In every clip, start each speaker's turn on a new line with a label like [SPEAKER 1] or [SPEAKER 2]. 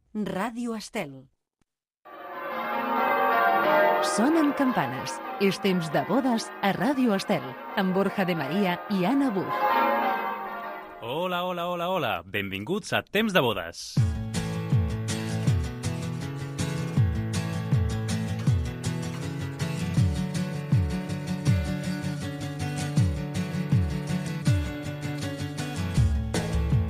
[SPEAKER 1] Ràdio Estel. Sonen campanes. És temps de bodes a Ràdio Estel, amb Borja de Maria i Anna Buch.
[SPEAKER 2] Hola, hola, hola, hola. Benvinguts a Temps de bodes.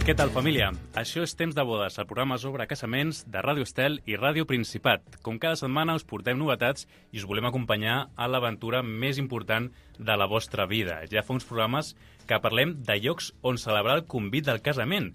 [SPEAKER 2] Què tal, família? Això és Temps de bodes, el programa sobre casaments de Ràdio Estel i Ràdio Principat. Com cada setmana us portem novetats i us volem acompanyar a l'aventura més important de la vostra vida. Ja fa uns programes que parlem de llocs on celebrar el convit del casament.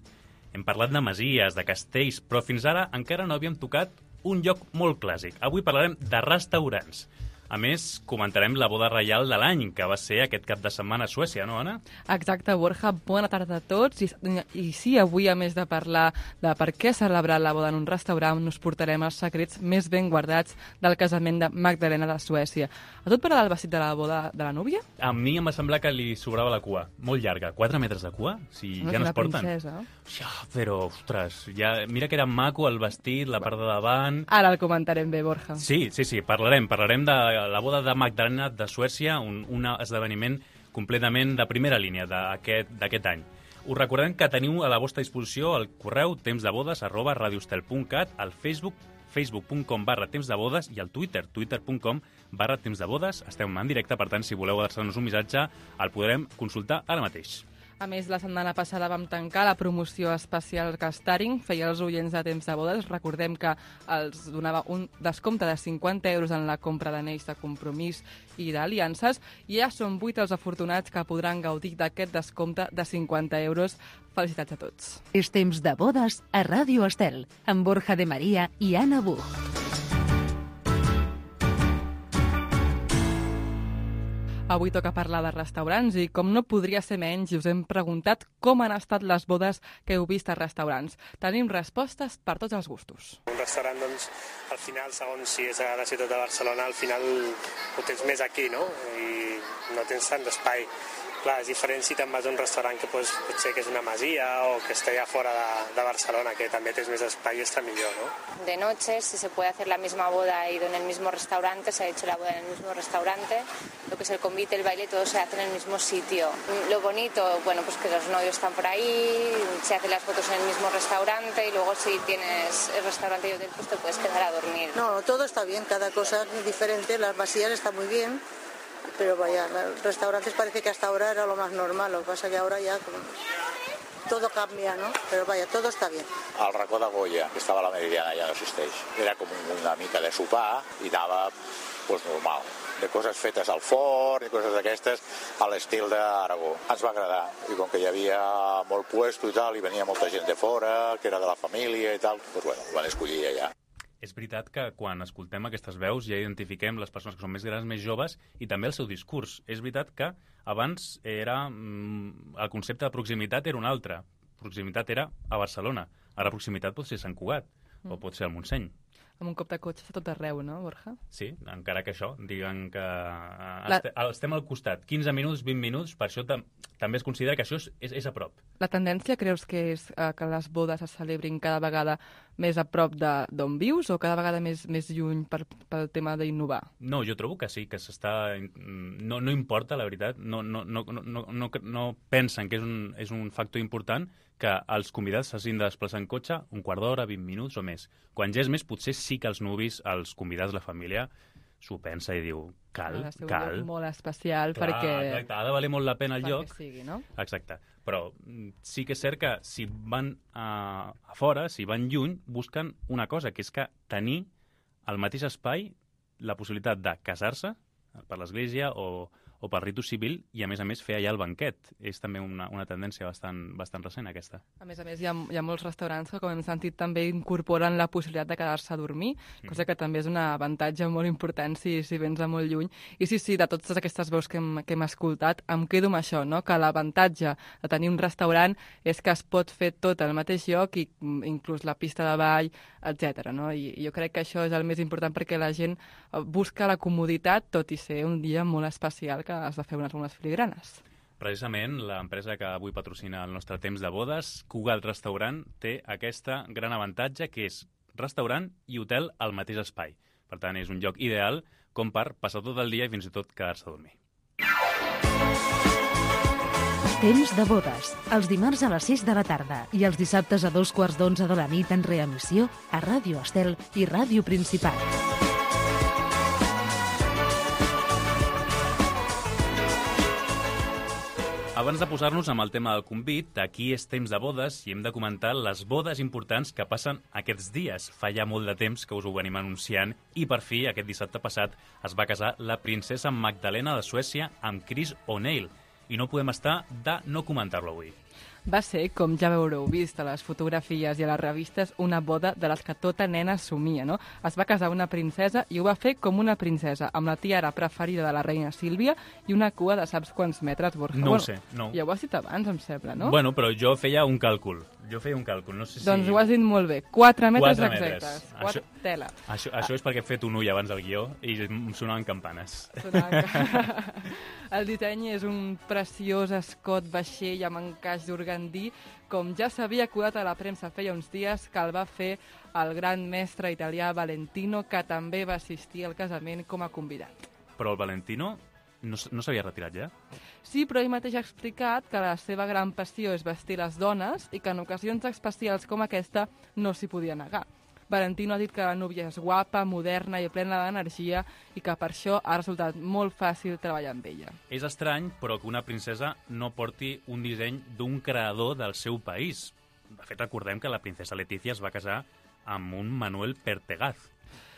[SPEAKER 2] Hem parlat de masies, de castells, però fins ara encara no havíem tocat un lloc molt clàssic. Avui parlarem de restaurants. A més, comentarem la boda reial de l'any, que va ser aquest cap de setmana a Suècia, no, Anna?
[SPEAKER 3] Exacte, Borja. Bona tarda a tots. I sí, avui, a més de parlar de per què celebrar la boda en un restaurant, us portarem els secrets més ben guardats del casament de Magdalena de Suècia. A tu et parla del vestit de la boda de la núvia?
[SPEAKER 2] A mi em va semblar que li sobrava la cua. Molt llarga. 4 metres de cua? Si ja no es porten.
[SPEAKER 3] Princesa.
[SPEAKER 2] Ja, però, ostres, ja, mira que era maco el vestit, la part de davant...
[SPEAKER 3] Ara el comentarem bé, Borja.
[SPEAKER 2] Sí, parlarem de la boda de Magdalena de Suècia, un esdeveniment completament de primera línia d'aquest any. Us recordem que teniu a la vostra disposició el correu temsdebodes@radioestel.cat, al Facebook, facebook.com/temsdebodes i al Twitter, twitter.com/temsdebodes. Estem en directe, per tant, si voleu adreçar-nos un missatge, el podrem consultar ara mateix.
[SPEAKER 3] A més, la setmana passada vam tancar la promoció especial que Staring feia als oients de Temps de Bodes. Recordem que els donava un descompte de 50 euros en la compra d'anells de compromís i d'aliances, i ja són 8 els afortunats que podran gaudir d'aquest descompte de 50 euros. Felicitats a tots.
[SPEAKER 1] És temps de bodes a Ràdio Estel, amb Borja de Maria i Anna Buch.
[SPEAKER 3] Avui toca parlar de restaurants i, com no podria ser menys, us hem preguntat com han estat les bodes que heu vist a restaurants. Tenim respostes per tots els gustos.
[SPEAKER 4] Un restaurant, doncs, al final, segons si és a la ciutat de Barcelona, al final ho tens més aquí, no? I no tens tant d'espai. Clar, és diferent si te'n vas a un restaurant que potser que és una masia o que està allà fora de Barcelona, que també tens més espai i està millor, ¿no?
[SPEAKER 5] De noche, si se puede hacer la misma boda y en el mismo restaurante, se ha hecho la boda en el mismo restaurante, lo que es el convite, el baile, todo se hace en el mismo sitio. Lo bonito, bueno, pues que los novios están por ahí, se hacen las fotos en el mismo restaurante y luego si tienes el restaurante y hotel, pues te puedes quedar a dormir.
[SPEAKER 6] No, todo está bien, cada cosa es diferente, las masías están muy bien. Pero vaya, los restaurantes parece que hasta ahora era lo más normal, lo que pasa que ahora ya todo cambia, ¿no? Pero vaya, todo está bien.
[SPEAKER 7] Al racó de Goya, que estava a la Meridiana, ja no existeix. Era com una mica de sopar i anava pues, normal, de coses fetes al forn i coses d'aquestes a l'estil d'Aragó. Ens va agradar, i com que hi havia molt puesto i tal, i venia molta gent de fora, que era de la família i tal, pues bueno, van escollir allà.
[SPEAKER 2] És veritat que quan escoltem aquestes veus ja identifiquem les persones que són més grans, més joves, i també el seu discurs. És veritat que abans el concepte de proximitat era un altre. Proximitat era a Barcelona. Ara proximitat pot ser Sant Cugat o pot ser el Montseny.
[SPEAKER 3] Amb un cop de cotxe està tot arreu, no, Borja?
[SPEAKER 2] Sí, encara que això, diguen que estem al costat. 15 minuts, 20 minuts, per això també es considera que això és a prop.
[SPEAKER 3] La tendència creus que és que les bodes es celebrin cada vegada més a prop d'on vius o cada vegada més lluny pel tema d'innovar?
[SPEAKER 2] No, jo trobo que sí, que s'està... No importa, la veritat, no pensen que és un factor important que els convidats s'hagin de desplaçar en cotxe un quart d'hora, 20 minuts o més. Quan ja és més, potser sí que els nuvis, els convidats, la família, s'ho pensa i diu, cal.
[SPEAKER 3] Ha de ser un lloc molt especial. Clar, perquè...
[SPEAKER 2] Exacte, ha de valer molt la pena el lloc.
[SPEAKER 3] Sigui, no?
[SPEAKER 2] Exacte. Però sí que és cert que si van a fora, si van lluny, busquen una cosa, que és que tenir al mateix espai la possibilitat de casar-se per l'església o pel ritu civil i, a més, fer allà el banquet. És també una tendència bastant recent, aquesta.
[SPEAKER 3] A més, hi ha molts restaurants que, com hem sentit, també incorporen la possibilitat de quedar-se a dormir, cosa que també és un avantatge molt important si vens de molt lluny. I sí, de totes aquestes veus que hem escoltat, em quedo amb això, no? Que l'avantatge de tenir un restaurant és que es pot fer tot al mateix lloc, i inclús la pista de ball, etc. No? I jo crec que això és el més important perquè la gent busca la comoditat, tot i ser un dia molt especial que has de fer unes filigranes.
[SPEAKER 2] Precisament, l'empresa que avui patrocina el nostre temps de bodes, Cugat Restaurant, té aquesta gran avantatge, que és restaurant i hotel al mateix espai. Per tant, és un lloc ideal com per passar tot el dia i fins i tot quedar-se a dormir.
[SPEAKER 1] Temps de bodes, els dimarts a les 6 de la tarda i els dissabtes a 11:15 de la nit en reemissió a Ràdio Estel i Ràdio Principat.
[SPEAKER 2] Abans de posar-nos amb el tema del convit, aquí és temps de bodes i hem de comentar les bodes importants que passen aquests dies. Fa ja molt de temps que us ho venim anunciant i per fi, aquest dissabte passat, es va casar la princesa Magdalena de Suècia amb Chris O'Neill i no podem estar de no comentar-lo avui.
[SPEAKER 3] Va ser, com ja haureu vist a les fotografies i a les revistes, una boda de les que tota nena somia, no? Es va casar una princesa i ho va fer com una princesa, amb la tiara preferida de la reina Sílvia i una cua de saps quants metres, Borja.
[SPEAKER 2] No ho sé, no.
[SPEAKER 3] Ja ho has dit abans, em sembla, no?
[SPEAKER 2] Bueno, però jo feia un càlcul. No sé si...
[SPEAKER 3] Doncs ho has dit molt bé. 4 metres
[SPEAKER 2] 4 metres.
[SPEAKER 3] exactes. Tela.
[SPEAKER 2] Això és perquè he fet un ull abans del guió i em sonaven campanes.
[SPEAKER 3] El disseny és un preciós escot vaixell amb encaix d'organdí, com ja s'havia acudat a la premsa feia uns dies, que el va fer el gran mestre italià Valentino, que també va assistir al casament com a convidat.
[SPEAKER 2] Però el Valentino no s'havia retirat ja?
[SPEAKER 3] Sí, però ell mateix ha explicat que la seva gran passió és vestir les dones i que en ocasions especials com aquesta no s'hi podia negar. Valentino ha dit que la núvia és guapa, moderna i plena d'energia i que per això ha resultat molt fàcil treballar amb ella.
[SPEAKER 2] És estrany, però que una princesa no porti un disseny d'un creador del seu país. De fet, recordem que la princesa Letizia es va casar amb un Manuel Pertegaz.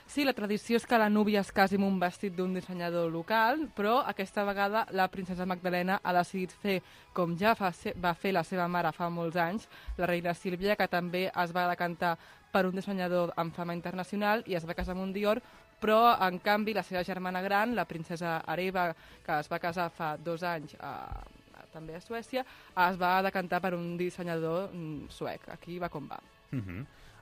[SPEAKER 3] Sí, la tradició és que la núvia es casi amb un vestit d'un dissenyador local, però aquesta vegada la princesa Magdalena ha decidit fer, com ja va fer la seva mare fa molts anys, la reina Sílvia, que també es va decantar per un dissenyador amb fama internacional i es va casar amb un Dior, però, en canvi, la seva germana gran, la princesa Areva, que es va casar fa 2 anys també a Suècia, es va decantar per un dissenyador suec. Aquí va com va.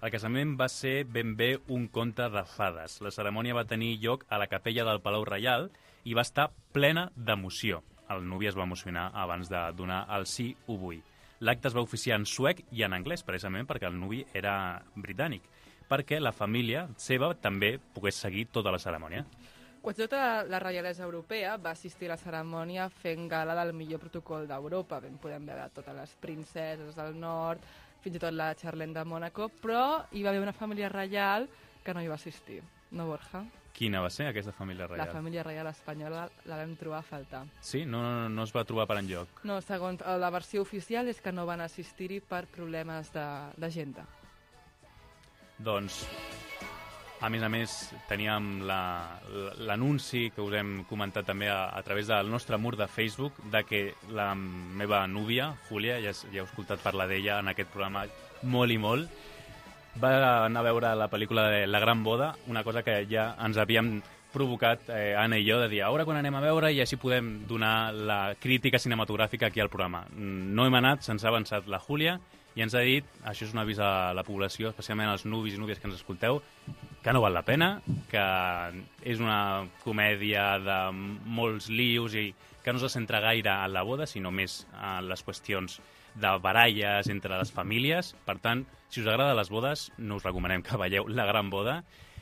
[SPEAKER 2] El casament va ser ben bé un conte de fades. La cerimònia va tenir lloc a la capella del Palau Reial i va estar plena d'emoció. El nuvi es va emocionar abans de donar el sí ho vull. L'acte es va oficiar en suec i en anglès, precisament perquè el nuvi era britànic, perquè la família seva també pogués seguir tota la cerimònia.
[SPEAKER 3] Quasi tota la reialesa europea va assistir a la cerimònia fent gala del millor protocol d'Europa. Ben podem veure totes les princeses del nord, fins i tot la Charlene de Mònaco, però hi va haver una família reial que no hi va assistir. No, Borja?
[SPEAKER 2] Quina va ser aquesta família reial?
[SPEAKER 3] La família reial espanyola la vam trobar a faltar.
[SPEAKER 2] Sí? No es va trobar per enlloc?
[SPEAKER 3] No, segons la versió oficial és que no van assistir-hi per problemes d'agenda.
[SPEAKER 2] Doncs, a més, teníem l'anunci que us hem comentat també a través del nostre mur de Facebook de que la meva núvia, Júlia, ja heu escoltat parlar d'ella en aquest programa molt i molt, va anar a veure la pel·lícula de La Gran Boda, una cosa que ja ens havíem provocat Anna i jo de dir a veure quan anem a veure i així podem donar la crítica cinematogràfica aquí al programa. No hem anat, se'ns ha avançat la Júlia i ens ha dit, això és un avís a la població, especialment als nuvis i núvies que ens escolteu, que no val la pena, que és una comèdia de molts lius i que no se centra gaire en la boda, sinó més en les qüestions de baralles entre les famílies. Per tant, si us agrada les bodes, no us recomanem que veieu La Gran Boda,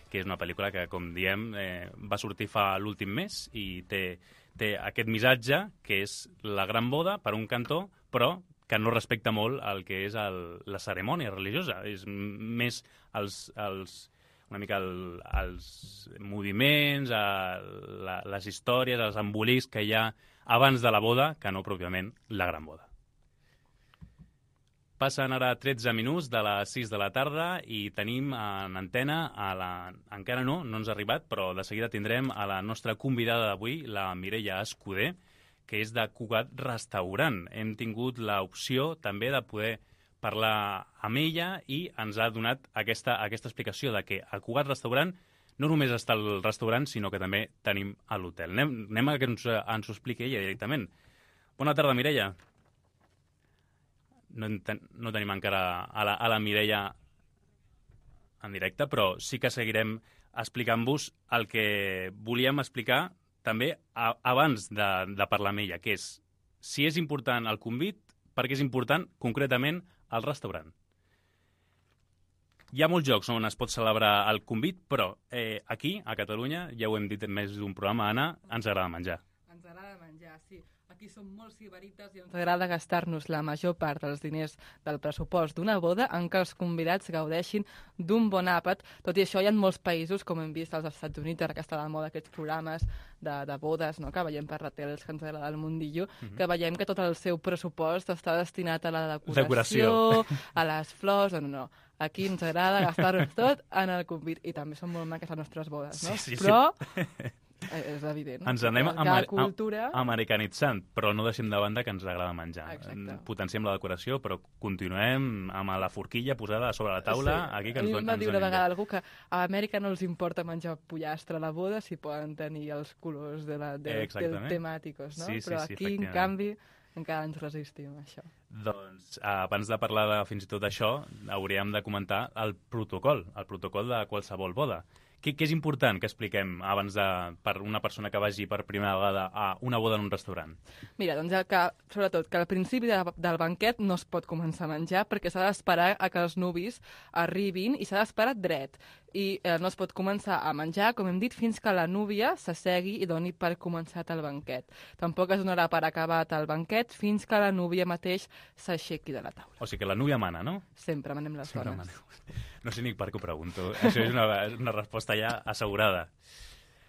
[SPEAKER 2] que és una pel·lícula que, com diem, va sortir fa l'últim mes i té aquest missatge, que és la gran boda, per un cantó, però que no respecta molt el que és la cerimònia religiosa. És més una mica els moviments, les històries, els embolics que hi ha abans de la boda, que no pròpiament la gran boda. Passen ara 13 minuts de les 6 de la tarda i tenim en antena, encara no ens ha arribat, però de seguida tindrem a la nostra convidada d'avui, la Mireia Escudé, que és de Cugat Restaurant. Hem tingut l'opció també de poder parlar amb ella i ens ha donat aquesta explicació de que a Cugat Restaurant no només està el restaurant, sinó que també tenim a l'hotel. Anem a que ens ho expliqui ella directament. Bona tarda, Mireia. No tenim encara a la Mireia en directe, però sí que seguirem explicant-vos el que volíem explicar també abans de parlar amb ella, que és si és important el convit, perquè és important concretament el restaurant. Hi ha molts llocs on es pot celebrar el convit, però aquí, a Catalunya, ja ho hem dit en més d'un programa, Anna, ens agrada menjar.
[SPEAKER 3] Ens agrada menjar, sí. Aquí som molt sibarites i ens agrada gastar-nos la major part dels diners del pressupost d'una boda en què els convidats gaudeixin d'un bon àpat. Tot i això, hi ha molts països, com hem vist als Estats Units, ara que està de moda aquests programes de bodes, no?, que veiem per la tele, els que ens agrada el mundillo, que veiem que tot el seu pressupost està destinat a la decoració, a les flors... No. Aquí ens agrada gastar-nos tot en el convit. I també són molt maques les nostres bodes, no?
[SPEAKER 2] Sí.
[SPEAKER 3] Però... és evident.
[SPEAKER 2] Ens anem americanitzant, però no deixem de banda que ens agrada menjar.
[SPEAKER 3] Exacte.
[SPEAKER 2] Potenciem la decoració, però continuem amb la forquilla posada sobre la taula.
[SPEAKER 3] Sí.
[SPEAKER 2] Aquí que ens
[SPEAKER 3] a mi em va dir una vegada algú que a Amèrica no els importa menjar pollastre a la boda si poden tenir els colors del temàticos, no? Però aquí, en canvi, encara ens resistim a això.
[SPEAKER 2] Doncs, abans de parlar fins i tot d'això, hauríem de comentar el protocol de qualsevol boda. Què és important que expliquem abans per una persona que vagi per primera vegada a una boda en un restaurant?
[SPEAKER 3] Mira, doncs sobretot que al principi del banquet no es pot començar a menjar perquè s'ha d'esperar a que els nuvis arribin i s'ha d'esperar dret. I no es pot començar a menjar, com hem dit, fins que la núvia s'assegui i doni per començat el banquet. Tampoc es donarà per acabat el banquet fins que la núvia mateix s'aixequi de la taula.
[SPEAKER 2] O sigui que la núvia mana, no?
[SPEAKER 3] Sempre manem les dones.
[SPEAKER 2] No sé ni per què ho pregunto. Això és una resposta ja assegurada.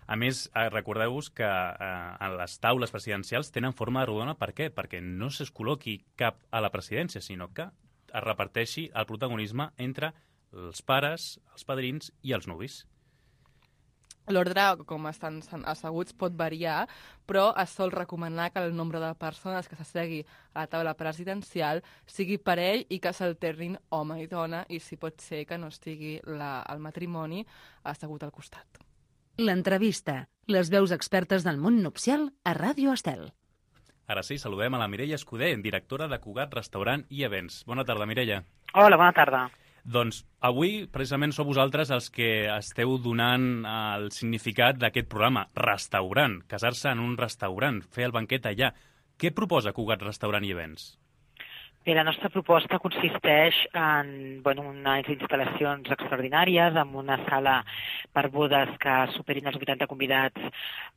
[SPEAKER 2] A més, recordeu-vos que les taules presidencials tenen forma de rodona. Per què? Perquè no es col·loqui cap a la presidència, sinó que es reparteixi el protagonisme entre els pares, els padrins i els nuvis.
[SPEAKER 3] L'ordre, com estan asseguts, pot variar, però es sol recomanar que el nombre de persones que s'assegui a la taula presidencial sigui parell i que s'alternin home i dona, i si pot ser que no estigui el matrimoni assegut al costat.
[SPEAKER 1] L'entrevista. Les veus expertes del món nupcial a Ràdio Estel.
[SPEAKER 2] Ara sí, saludem a la Mireia Escudé, directora de Cugat Restaurant i Events. Bona tarda, Mireia.
[SPEAKER 8] Hola, bona tarda.
[SPEAKER 2] Doncs avui, precisament, sou vosaltres els que esteu donant el significat d'aquest programa, restaurant, casar-se en un restaurant, fer el banquet allà. Què proposa Cugat Restaurant i Events?
[SPEAKER 8] Bé, la nostra proposta consisteix en unes instal·lacions extraordinàries, amb una sala per bodes que superin els 80 convidats,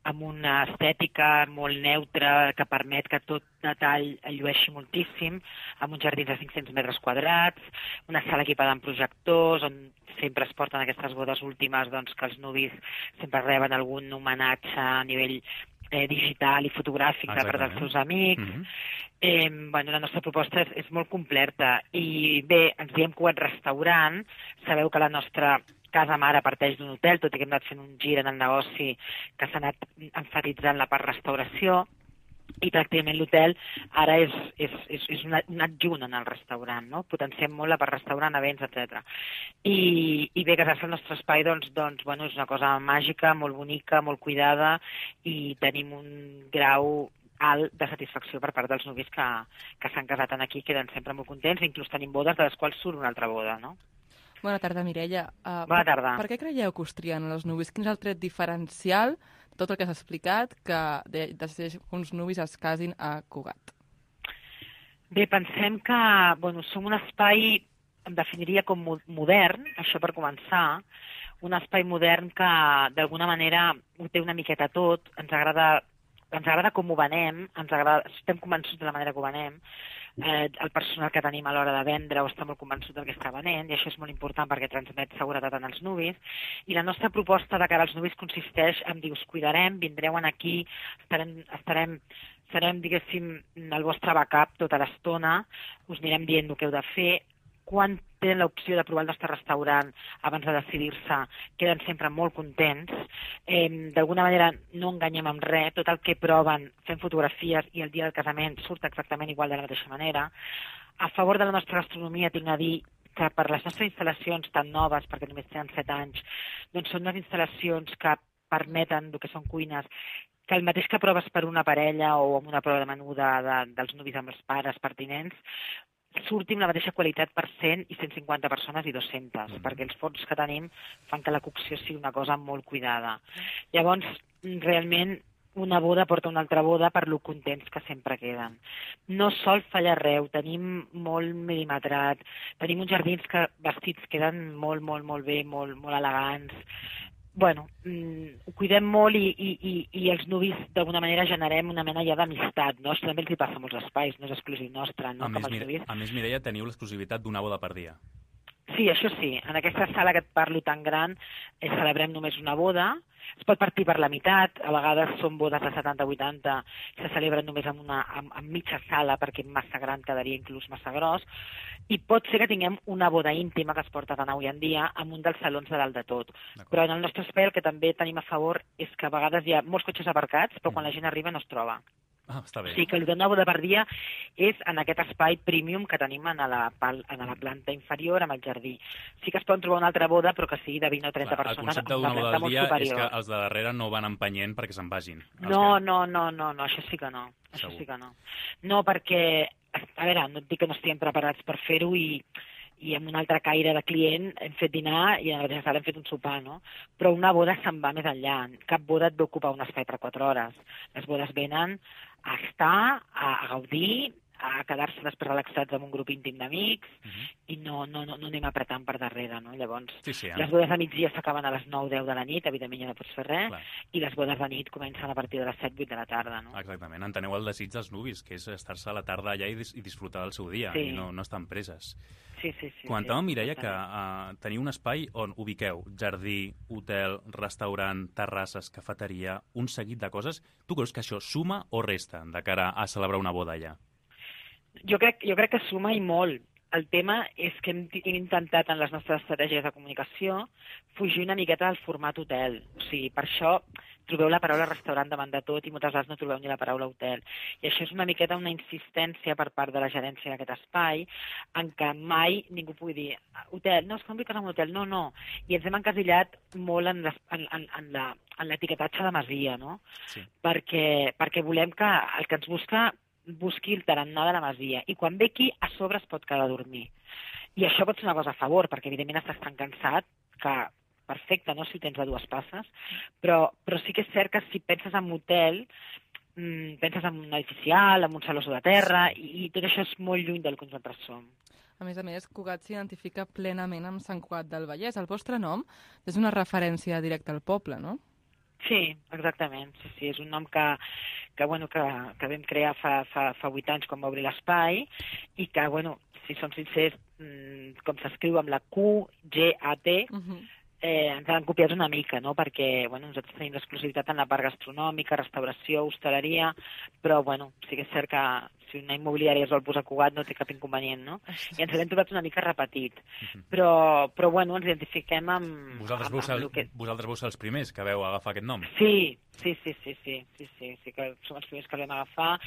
[SPEAKER 8] amb una estètica molt neutra que permet que tot detall llueixi moltíssim, amb uns jardins de 500 metres quadrats, una sala equipada amb projectors, on sempre es porten aquestes bodes últimes, doncs, que els nuvis sempre reben algun homenatge a nivell digital i fotogràfic per part dels seus amics. La nostra proposta és molt completa i bé, ens diem Cugat Restaurant. Sabeu que la nostra casa mare parteix d'un hotel, tot i que hem anat fent un gir en el negoci que s'ha anat emfatitzant la part restauració, i pràcticament l'hotel ara és un adjunt en el restaurant, no? Potenciem molt la part restaurant, events, etc. I bé, casar-se al nostre espai doncs, és una cosa màgica, molt bonica, molt cuidada, i tenim un grau alt de satisfacció per part dels nuvis que s'han casat aquí, queden sempre molt contents, inclús tenim bodes de les quals surt una altra boda, no?
[SPEAKER 3] Bona tarda, Mireia.
[SPEAKER 8] Bona tarda.
[SPEAKER 3] Per què creieu que us trien els nuvis? Quin és el tret diferencial de tot el que s'ha explicat que decideix que uns nuvis es casin a Cugat?
[SPEAKER 8] Bé, pensem que som un espai, em definiria com modern, això per començar, un espai modern que d'alguna manera ho té una miqueta tot, ens agrada com ho venem, estem convençuts de la manera que ho venem, el personal que tenim a l'hora de vendre està molt convençut del que està venent, i això és molt important perquè transmet seguretat en els nuvis. I la nostra proposta de cara als nuvis consisteix en dir, us cuidarem, vindreu aquí, serem, diguéssim, el vostre backup tota l'estona, us anirem dient el que heu de fer. Quan tenen l'opció de provar el nostre restaurant abans de decidir-se, queden sempre molt contents. D'alguna manera no enganyem amb res, tot el que proven fem fotografies i el dia del casament surt exactament igual de la mateixa manera. A favor de la nostra gastronomia tinc a dir que per les nostres instal·lacions tan noves, perquè només tenen 7 anys, doncs són unes instal·lacions que permeten el que són cuines, que el mateix que proves per una parella o amb una prova de menú dels nuvis amb els pares pertinents, surti amb la mateixa qualitat per 100 i 150 persones i 200, perquè els forns que tenim fan que la cocció sigui una cosa molt cuidada. Llavors, realment, una boda porta una altra boda per lo contents que sempre queden. No sol fallar res, ho tenim molt mil·limetrat, tenim uns jardins que vestits queden molt, molt, molt bé, molt, molt elegants. Bueno, ho cuidem molt i els nuvis d'alguna manera generem una mena ja d'amistat, no? Això també els hi passa a molts espais, no és exclusiu nostre, no?
[SPEAKER 2] A més, Mireia, teniu l'exclusivitat d'una boda per dia.
[SPEAKER 8] Sí, això sí. En aquesta sala que et parlo tan gran celebrem només una boda. Es pot partir per la meitat. A vegades són bodes de 70-80. Se celebren només en mitja sala perquè massa gran quedaria inclús massa gros. I pot ser que tinguem una boda íntima que es porta tan avui en dia en un dels salons de dalt de tot. Però en el nostre espai el que també tenim a favor és que a vegades hi ha molts cotxes aparcats, però quan la gent arriba no es troba.
[SPEAKER 2] Ah, està bé.
[SPEAKER 8] Sí, que el d'una boda per dia és en aquest espai premium que tenim en la planta inferior amb el jardí. Sí que es poden trobar una altra boda, però que sigui de 20 o 30 persones.
[SPEAKER 2] El concepte d'una boda al dia és que els de darrere no van empenyent perquè se'n vagin.
[SPEAKER 8] No, això sí que no. Això sí que no. No, perquè, a veure, no et dic que no estiguem preparats per fer-ho i amb un altre caire de client hem fet dinar i a la mateixa sala hem fet un sopar, no? Però una boda se'n va més enllà. Cap boda et ve ocupar un espai per 4 hores. Les bodes venen a estar, a gaudir, a quedar-se després relaxats amb un grup íntim d'amics i no anem apretant per darrere, no? Llavors, les bodes de migdia s'acaben a les 9-10 de la nit, evidentment ja no pots fer res, i les bodes de nit comencen a partir de les 7-8 de la tarda, no?
[SPEAKER 2] Exactament, enteneu el desig dels nuvis, que és estar-se a la tarda allà i disfrutar del seu dia, i no estar preses.
[SPEAKER 8] Sí.
[SPEAKER 2] Comentàvem, Mireia, que teniu un espai on ubiqueu jardí, hotel, restaurant, terrasses, cafeteria, un seguit de coses. Tu creus que això suma o resta de cara a celebrar una boda allà?
[SPEAKER 8] Jo crec que suma i molt. El tema és que hem intentat en les nostres estratègies de comunicació fugir una miqueta del format hotel. O sigui, per això trobeu la paraula restaurant davant de tot i moltes vegades no trobeu ni la paraula hotel. I això és una miqueta una insistència per part de la gerència d'aquest espai en què mai ningú pugui dir hotel, no, és que no vull casar en un hotel, no. I ens hem encasillat molt en l'etiquetatge de masia, no? Sí. Perquè volem que el que ens busqui el tarannà de la masia. I quan ve aquí, a sobre es pot quedar a dormir. I això pot ser una cosa a favor, perquè evidentment estàs tan cansat que perfecte, no?, si ho tens a 2 passes, però sí que és cert que si penses en hotel, penses en un edificial, en un saló de terra, i tot això és molt lluny del que nosaltres som.
[SPEAKER 3] A més, Cugat s'identifica plenament amb Sant Cugat del Vallès. El vostre nom és una referència directa al poble, no?
[SPEAKER 8] Sí, exactament. Sí, és un nom que vam crear fa 8 anys quan va obrir l'espai i que, si som sincers, com s'escriu amb la Q, G, A, T, ens han copiat una mica, no? Perquè nosaltres tenim l'exclusivitat en la part gastronòmica, restauració, hostaleria, però sí que és cert que si una immobiliària es vol posar Cugat no té cap inconvenient, no? I ens l'hem trobat una mica repetit. Però ens identifiquem amb...
[SPEAKER 2] Vosaltres vau ser els primers que vau agafar aquest nom?
[SPEAKER 8] Sí que som els primers que l'hem agafar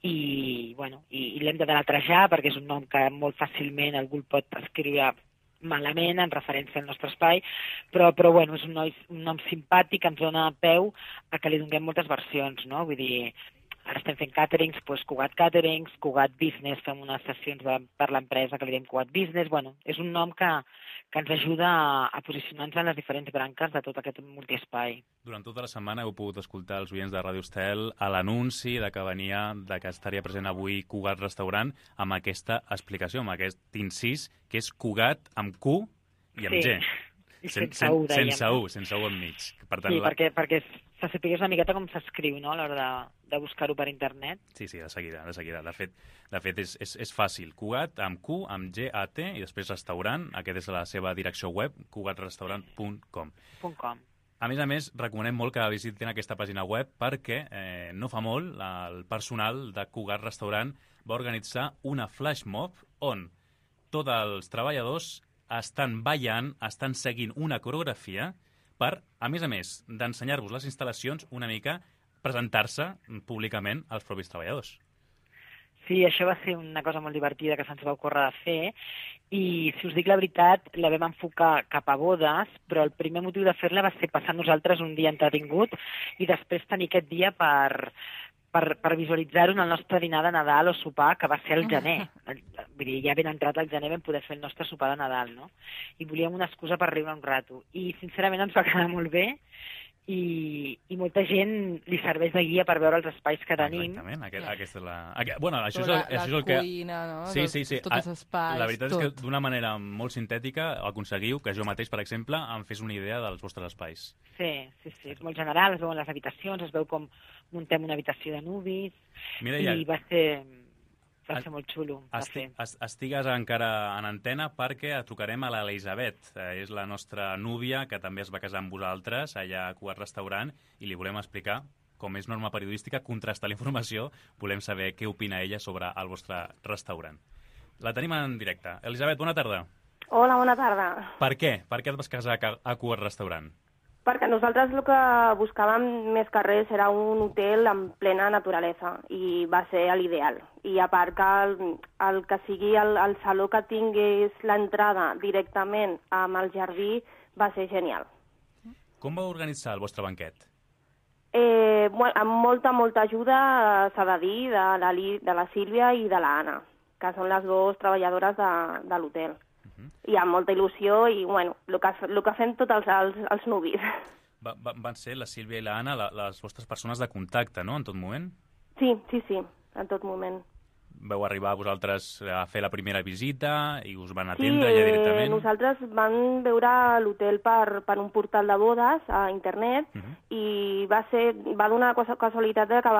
[SPEAKER 8] i l'hem de deletrejar perquè és un nom que molt fàcilment algú el pot escriure malament en referència al nostre espai, però és un nom simpàtic que ens dona peu a que li donem moltes versions, no? Vull dir, ara estem fent caterings, Cugat Caterings, Cugat Business, fem unes sessions per l'empresa que li diem Cugat Business, és un nom que ens ajuda a posicionar-nos en les diferents branques de tot aquest multiespai.
[SPEAKER 2] Durant tota la setmana heu pogut escoltar els oients de Ràdio Estel a l'anunci de que estaria present avui Cugat Restaurant amb aquesta explicació, amb aquest incís, que és Cugat amb Q i amb G.
[SPEAKER 8] Sense
[SPEAKER 2] U enmig. Per tant,
[SPEAKER 8] perquè se sapigués una miqueta com s'escriu, no?, a l'hora de buscar-ho per internet.
[SPEAKER 2] Sí, de seguida. De fet, és fàcil. Cugat amb Q, amb G, A, T, i després restaurant. Aquest és la seva direcció web, cugatrestaurant.com. A més, recomanem molt que visitin aquesta pàgina web perquè no fa molt el personal de Cugat Restaurant va organitzar una flash mob on tots els treballadors estan ballant, estan seguint una coreografia per, a més d'ensenyar-vos les instal·lacions, una mica presentar-se públicament als propis treballadors.
[SPEAKER 8] Sí, això va ser una cosa molt divertida que se'ns va ocórrer de fer i, si us dic la veritat, la vam enfocar cap a bodes, però el primer motiu de fer-la va ser passar nosaltres un dia entretingut i després tenir aquest dia per visualitzar-ho en el nostre dinar de Nadal o sopar, que va ser el gener. Vull dir, ja ben entrat el gener vam poder fer el nostre sopar de Nadal, no? I volíem una excusa per riure un rato. I, sincerament, ens va quedar molt bé i molta gent li serveix de guia per veure els espais que tenim.
[SPEAKER 2] Exactament, aquesta és la... Bueno, això
[SPEAKER 3] la
[SPEAKER 2] és el que...
[SPEAKER 3] cuina, no?
[SPEAKER 2] Sí.
[SPEAKER 3] Tots els espais,
[SPEAKER 2] la veritat és que d'una manera molt sintètica aconseguiu que jo mateix, per exemple, em fes una idea dels vostres espais.
[SPEAKER 8] Sí, és molt general, es veuen les habitacions, es veu com muntem una habitació de nuvis,
[SPEAKER 2] Mireia,
[SPEAKER 8] i va ser molt xulo.
[SPEAKER 2] Estigues encara en antena perquè trucarem a l'Elisabet. És la nostra núvia, que també es va casar amb vosaltres allà a Cugat Restaurant, i li volem explicar, com és norma periodística, contrastar la informació. Volem saber què opina ella sobre el vostre restaurant. La tenim en directe. Elisabet, bona tarda.
[SPEAKER 9] Hola, bona tarda.
[SPEAKER 2] Per què? Per què et vas casar a Cugat Restaurant?
[SPEAKER 9] Perquè nosaltres el que buscàvem més que res era un hotel en plena naturalesa i va ser l'ideal. I a part que el que sigui el saló que tingués l'entrada directament amb el jardí va ser genial.
[SPEAKER 2] Com va organitzar el vostre banquet?
[SPEAKER 9] Amb molta ajuda, s'ha de dir, de la Sílvia i de l'Anna, que són les dues treballadores de l'hotel. I amb molta il·lusió i, el que fem tots els nuvis.
[SPEAKER 2] Van ser la Sílvia i l'Anna les vostres persones de contacte, no?, en tot moment?
[SPEAKER 9] Sí, en tot moment.
[SPEAKER 2] Vau arribar vosaltres a fer la primera visita i us van atendre ja directament? Sí,
[SPEAKER 9] nosaltres vam veure l'hotel per un portal de bodes a internet i va donar casualitat que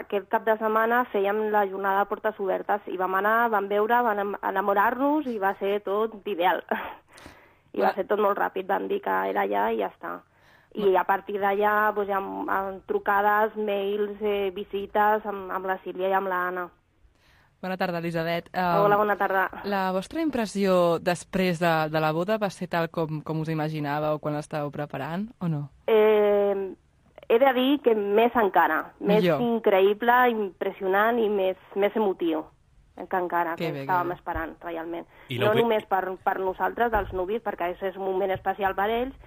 [SPEAKER 9] aquest cap de setmana fèiem la jornada de portes obertes i vam anar, vam veure, vam enamorar-nos i va ser tot ideal. I va ser tot molt ràpid, vam dir que era allà i ja està. I a partir d'allà amb trucades, mails, visites amb la Sílvia i amb l'Anna.
[SPEAKER 3] Bona tarda, Elisabet.
[SPEAKER 9] Hola, bona tarda.
[SPEAKER 3] La vostra impressió després de la boda va ser tal com us imaginàveu quan l'estàveu preparant, o no?
[SPEAKER 9] He de dir que més encara. Més increïble, impressionant i més emotiu que encara, que estàvem esperant, realment. No només per nosaltres, dels nuvis, perquè és un moment especial per ells,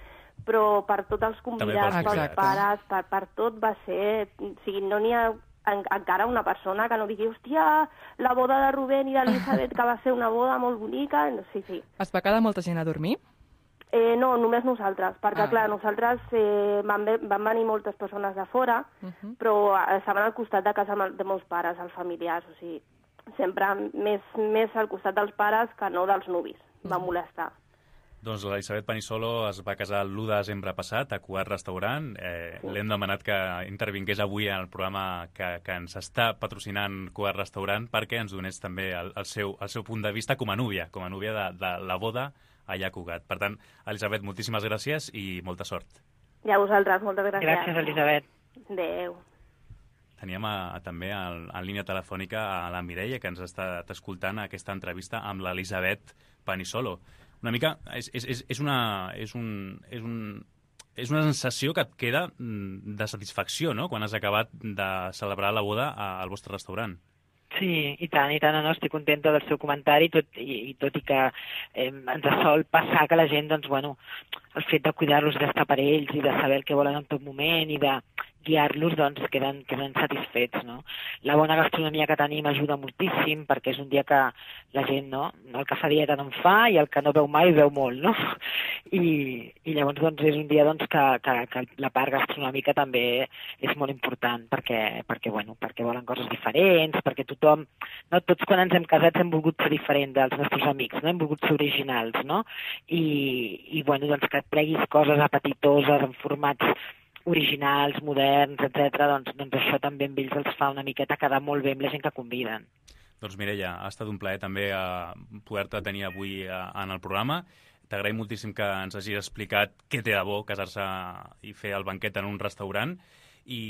[SPEAKER 9] però per tots els convidats, pels pares, per tot va ser... O sigui, no n'hi ha encara una persona que no digui, hòstia, la boda de Rubén i d'Elisabet, que va ser una boda molt bonica. Sí.
[SPEAKER 3] Es va quedar molta gent a dormir?
[SPEAKER 9] No, només nosaltres, perquè clar, nosaltres van venir moltes persones de fora, però estaven al costat de casa de meus pares, els familiars, o sigui, sempre més al costat dels pares que no dels nuvis, va molestar.
[SPEAKER 2] Doncs l'Elisabet Panisolo es va casar l'1 de desembre passat a Cugat Restaurant. L'hem demanat que intervingués avui en el programa que ens està patrocinant Cugat Restaurant perquè ens donés també el seu punt de vista com a núvia de la boda allà a Cugat. Per tant, Elisabet, moltíssimes gràcies i molta sort.
[SPEAKER 9] I a vosaltres, moltes gràcies.
[SPEAKER 8] Gràcies, Elisabet.
[SPEAKER 9] Adéu.
[SPEAKER 2] Teníem també en línia telefònica a la Mireia, que ens ha estat escoltant aquesta entrevista amb l'Elisabet Panisolo. Una mica, és una sensació que et queda de satisfacció, no?, quan has acabat de celebrar la boda al vostre restaurant.
[SPEAKER 8] Sí, i tant, no, estic contenta del seu comentari, tot i que ens sol passar que la gent, doncs, el fet de cuidar-los, d'estar per ells i de saber el que volen en tot moment i de guiar-los, doncs, queden satisfets, no? La bona gastronomia que tenim ajuda moltíssim, perquè és un dia que la gent, no?, el que fa dieta no en fa i el que no veu mai veu molt, no? I llavors, doncs, és un dia, doncs, que la part gastronòmica també és molt important, perquè volen coses diferents, perquè tothom, no, tots quan ens hem casat hem volgut ser diferents dels nostres amics, no?, hem volgut ser originals, no? I doncs, que et pleguis coses apetitoses en formats originals, moderns, etc. Doncs això també amb ells els fa una miqueta quedar molt bé amb la gent que conviden.
[SPEAKER 2] Doncs Mireia, ha estat un plaer també poder-te tenir avui en el programa. T'agraïm moltíssim que ens hagis explicat què té de bo casar-se i fer el banquet en un restaurant i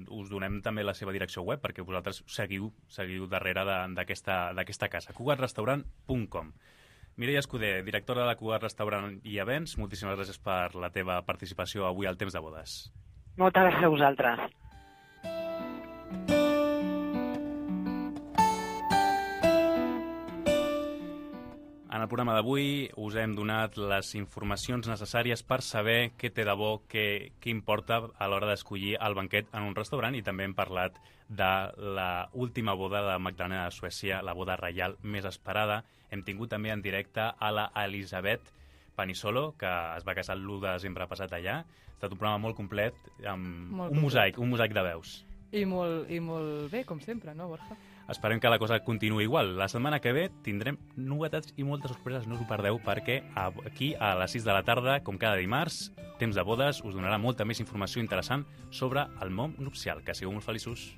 [SPEAKER 2] us donem també la seva direcció web perquè vosaltres seguiu darrere d'aquesta casa, cugatrestaurant.com. Mireia Escudé, directora de Cugat Restaurant i Events, moltíssimes gràcies per la teva participació avui al Temps de Bodes.
[SPEAKER 8] Moltes gràcies a vosaltres.
[SPEAKER 2] En el programa d'avui us hem donat les informacions necessàries per saber què té de bo, què importa a l'hora d'escollir el banquet en un restaurant i també hem parlat de l'última boda de Magdalena de Suècia, la boda reial més esperada. Hem tingut també en directe a la Elisabet Panisolo, que es va casar l'1 de desembre passat allà. Ha estat un programa molt complet, amb un mosaic de veus.
[SPEAKER 3] I molt bé, com sempre, no, Borja?
[SPEAKER 2] Esperem que la cosa continuï igual. La setmana que ve tindrem novetats i moltes sorpreses, no us ho perdeu, perquè aquí a les 6 de la tarda, com cada dimarts, Temps de bodes us donarà molta més informació interessant sobre el món nupcial. Que sigueu molt feliços.